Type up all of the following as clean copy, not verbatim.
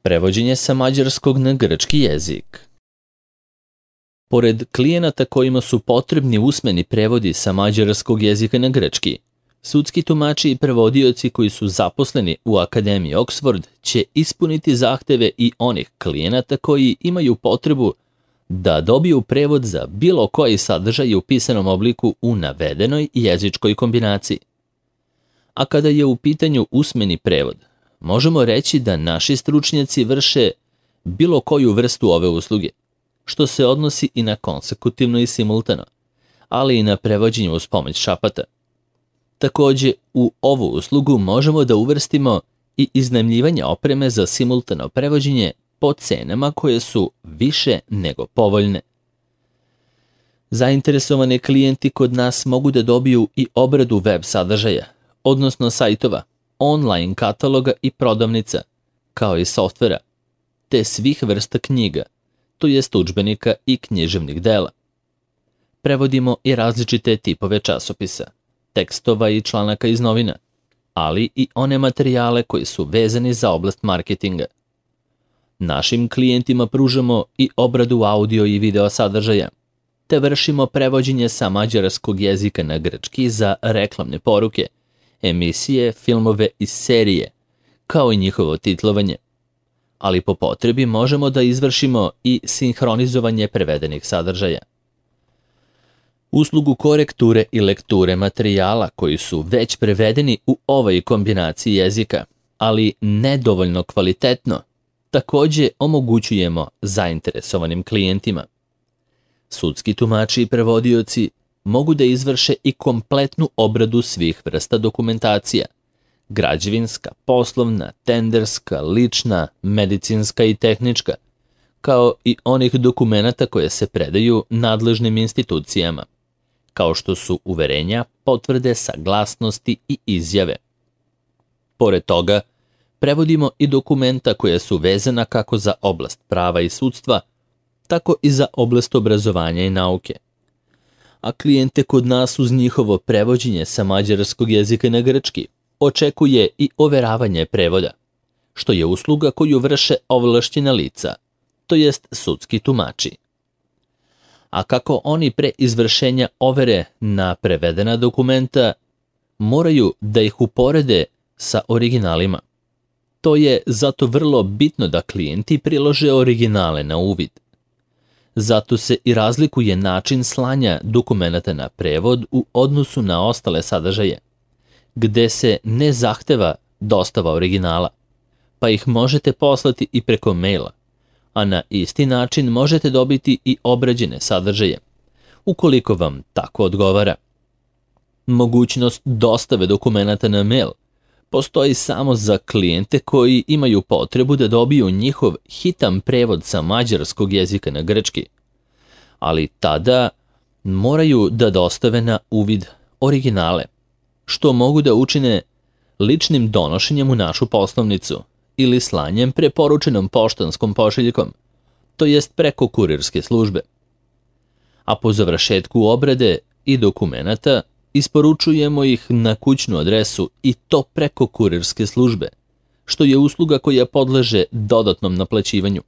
Prevođenje sa mađarskog na grčki jezik. Pored klijenata kojima su potrebni usmeni prevodi sa mađarskog jezika na grčki, sudski tumači i prevodioci koji su zaposleni u Akademiji Oxford će ispuniti zahteve i onih klijenata koji imaju potrebu da dobiju prevod za bilo koji sadržaj u pisanom obliku u navedenoj jezičkoj kombinaciji. A kada je u pitanju usmeni prevod, možemo reći da naši stručnjaci vrše bilo koju vrstu ove usluge, što se odnosi i na konsekutivno i simultano, ali i na prevođenje uz pomoć šapata. Takođe, u ovu uslugu možemo da uvrstimo i iznajmljivanje opreme za simultano prevođenje po cenama koje su više nego povoljne. Zainteresovani klijenti kod nas mogu da dobiju i obradu web sadržaja, odnosno sajtova, online kataloga i prodavnica, kao i softvera, te svih vrsta knjiga, to jest udžbenika i književnih dela. Prevodimo i različite tipove časopisa, tekstova i članaka iz novina, ali i one materijale koji su vezani za oblast marketinga. Našim klijentima pružamo i obradu audio i video sadržaja, te vršimo prevođenje sa mađarskog jezika na grčki za reklamne poruke, emisije, filmove i serije, kao i njihovo titlovanje. Ali po potrebi možemo da izvršimo i sinhronizovanje prevedenih sadržaja. Uslugu korekture i lekture materijala koji su već prevedeni u ovoj kombinaciji jezika, ali nedovoljno kvalitetno, takođe omogućujemo zainteresovanim klijentima. Sudski tumači i prevodioci mogu da izvrše i kompletnu obradu svih vrsta dokumentacija, građevinska, poslovna, tenderska, lična, medicinska i tehnička, kao i onih dokumenata koje se predaju nadležnim institucijama, kao što su uverenja, potvrde, saglasnosti i izjave. Pored toga, prevodimo i dokumenta koja su vezana kako za oblast prava i sudstva, tako i za oblast obrazovanja i nauke. A klijente kod nas uz njihovo prevođenje sa mađarskog jezika na grčki očekuje i overavanje prevoda, što je usluga koju vrše ovlašćena lica, to jest sudski tumači. A kako oni pre izvršenja overe na prevedena dokumenta moraju da ih uporede sa originalima. To je zato vrlo bitno da klijenti prilože originale na uvid. Zato se i razlikuje način slanja dokumenata na prevod u odnosu na ostale sadržaje, gde se ne zahteva dostava originala, pa ih možete poslati i preko maila, a na isti način možete dobiti i obrađene sadržaje, ukoliko vam tako odgovara. Mogućnost dostave dokumenata na mail postoji samo za klijente koji imaju potrebu da dobiju njihov hitan prevod sa mađarskog jezika na grčki, ali tada moraju da dostave na uvid originale, što mogu da učine ličnim donošenjem u našu poslovnicu ili slanjem preporučenom poštanskom pošiljkom, to jest preko kurirske službe. A po završetku obrade i dokumenata isporučujemo ih na kućnu adresu i to preko kurirske službe, što je usluga koja podleže dodatnom naplaćivanju.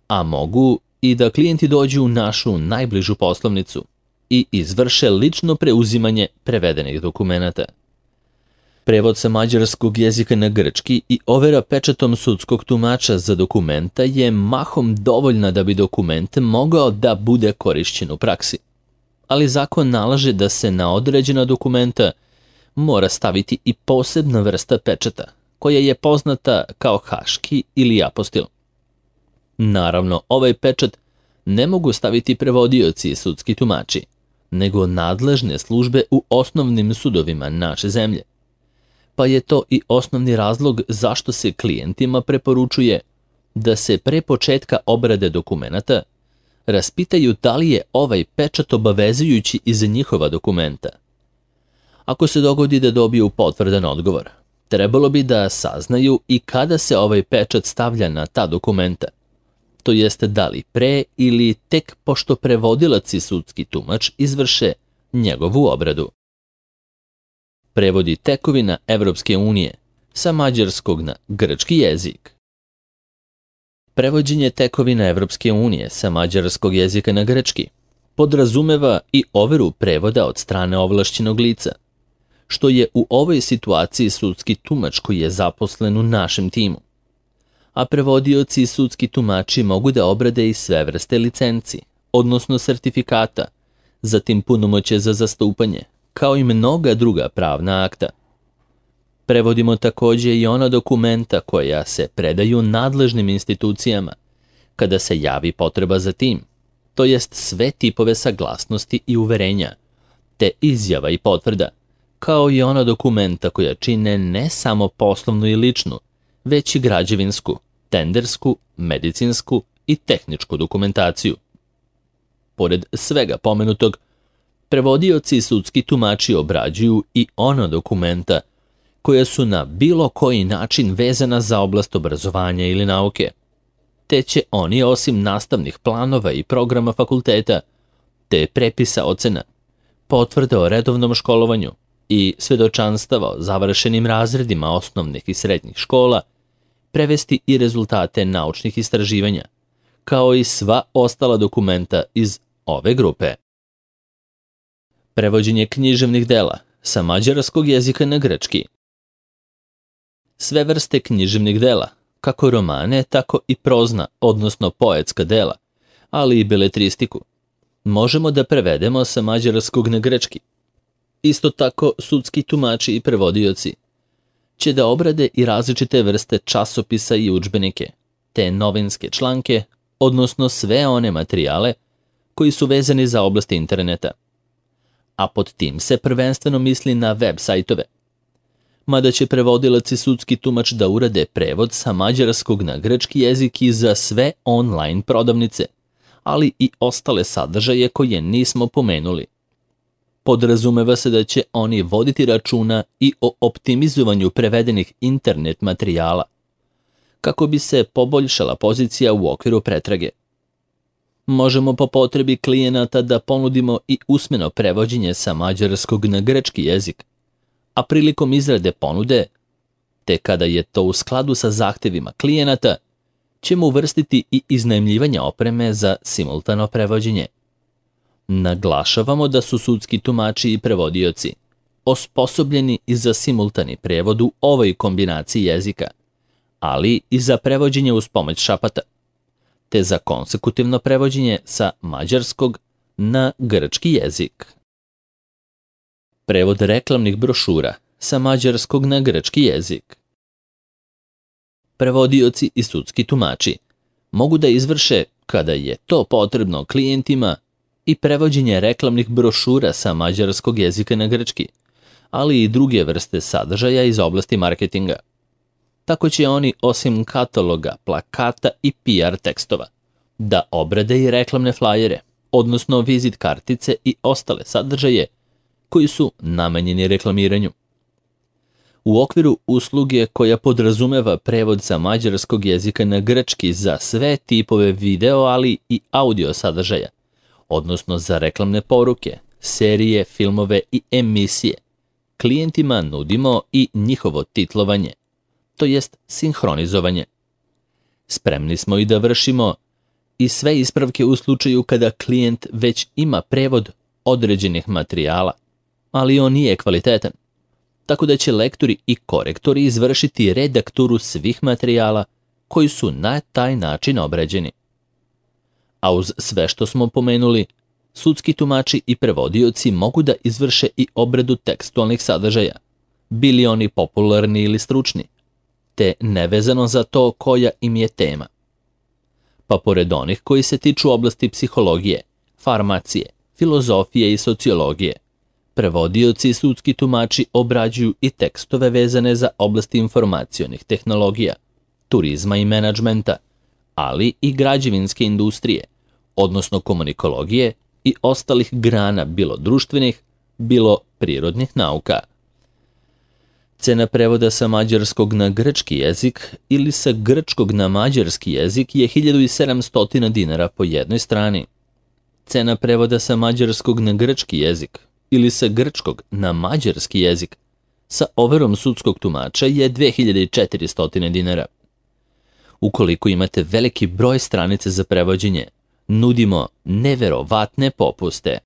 A mogu i da klijenti dođu u našu najbližu poslovnicu i izvrše lično preuzimanje prevedenih dokumenata. Prevod sa mađarskog jezika na grčki i overa pečatom sudskog tumača za dokumenta je mahom dovoljna da bi dokument mogao da bude korišćen u praksi. Ali zakon nalaže da se na određena dokumenta mora staviti i posebna vrsta pečata, koja je poznata kao haški ili apostil. Naravno, ovaj pečat ne mogu staviti prevodioci i sudski tumači, nego nadležne službe u osnovnim sudovima naše zemlje. Pa je to i osnovni razlog zašto se klijentima preporučuje da se pre početka obrade dokumenata raspitaju da li je ovaj pečat obavezujući i za njihova dokumenta. Ako se dogodi da dobiju potvrdan odgovor, trebalo bi da saznaju i kada se ovaj pečat stavlja na ta dokumenta, to jeste da li pre ili tek pošto prevodilac i sudski tumač izvrše njegovu obradu. Prevodi tekovina Evropske unije sa mađarskog na grčki jezik. Prevođenje tekovina Evropske unije sa mađarskog jezika na grčki podrazumeva i overu prevoda od strane ovlašćenog lica, što je u ovoj situaciji sudski tumač koji je zaposlen u našem timu. A prevodioci i sudski tumači mogu da obrade i sve vrste licenci, odnosno sertifikata, zatim punomoćje za zastupanje, kao i mnoga druga pravna akta. Prevodimo takođe i ona dokumenta koja se predaju nadležnim institucijama kada se javi potreba za tim, to jest sve tipove saglasnosti i uverenja, te izjava i potvrda, kao i ona dokumenta koja čine ne samo poslovnu i ličnu, već i građevinsku, tendersku, medicinsku i tehničku dokumentaciju. Pored svega pomenutog, prevodioci i sudski tumači obrađuju i ona dokumenta koja su na bilo koji način vezana za oblast obrazovanja ili nauke, te će oni osim nastavnih planova i programa fakulteta, te prepisa ocena, potvrde o redovnom školovanju i svedočanstava o završenim razredima osnovnih i srednjih škola, prevesti i rezultate naučnih istraživanja, kao i sva ostala dokumenta iz ove grupe. Prevođenje književnih dela sa mađarskog jezika na grčki. Sve vrste književnih dela, kako romane, tako i prozna, odnosno poetska dela, ali i beletristiku, možemo da prevedemo sa mađarskog na grčki. Isto tako, sudski tumači i prevodioci će da obrade i različite vrste časopisa i udžbenike, te novinske članke, odnosno sve one materijale koji su vezani za oblast interneta. A pod tim se prvenstveno misli na web sajtove. Mada će prevodilac i sudski tumač da urade prevod sa mađarskog na grčki jezik i za sve online prodavnice, ali i ostale sadržaje koje nismo pomenuli. Podrazumeva se da će oni voditi računa i o optimizovanju prevedenih internet materijala, kako bi se poboljšala pozicija u okviru pretrage. Možemo po potrebi klijenata da ponudimo i usmeno prevođenje sa mađarskog na grčki jezik, a prilikom izrade ponude, te kada je to u skladu sa zahtevima klijenata, ćemo uvrstiti i iznajmljivanje opreme za simultano prevođenje. Naglašavamo da su sudski tumači i prevodioci osposobljeni i za simultani prevod u ovoj kombinaciji jezika, ali i za prevođenje uz pomoć šapata, te za konsekutivno prevođenje sa mađarskog na grčki jezik. Prevod reklamnih brošura sa mađarskog na grčki jezik. Prevodioci i sudski tumači mogu da izvrše, kada je to potrebno klijentima, i prevođenje reklamnih brošura sa mađarskog jezika na grčki, ali i druge vrste sadržaja iz oblasti marketinga. Tako će oni, osim kataloga, plakata i PR tekstova, da obrade i reklamne flajere, odnosno vizit kartice i ostale sadržaje koji su namenjeni reklamiranju. U okviru usluge koja podrazumeva prevod sa mađarskog jezika na grčki za sve tipove video, ali i audio sadržaja, odnosno za reklamne poruke, serije, filmove i emisije, klijentima nudimo i njihovo titlovanje, to jest sinhronizovanje. Spremni smo i da vršimo i sve ispravke u slučaju kada klijent već ima prevod određenih materijala, ali on nije kvalitetan, tako da će lektori i korektori izvršiti redakturu svih materijala koji su na taj način obrađeni. A uz sve što smo pomenuli, sudski tumači i prevodioci mogu da izvrše i obradu tekstualnih sadržaja, bili oni popularni ili stručni, te nevezano za to koja im je tema. Pa pored onih koji se tiču oblasti psihologije, farmacije, filozofije i sociologije, prevodioci i sudski tumači obrađuju i tekstove vezane za oblasti informacionih tehnologija, turizma i menadžmenta, ali i građevinske industrije, odnosno komunikologije i ostalih grana bilo društvenih, bilo prirodnih nauka. Cena prevoda sa mađarskog na grčki jezik ili sa grčkog na mađarski jezik je 1700 dinara po jednoj strani. Cena prevoda sa mađarskog na grčki jezik ili sa grčkog na mađarski jezik sa overom sudskog tumača je 2400 dinara. Ukoliko imate veliki broj stranica za prevođenje, nudimo neverovatne popuste.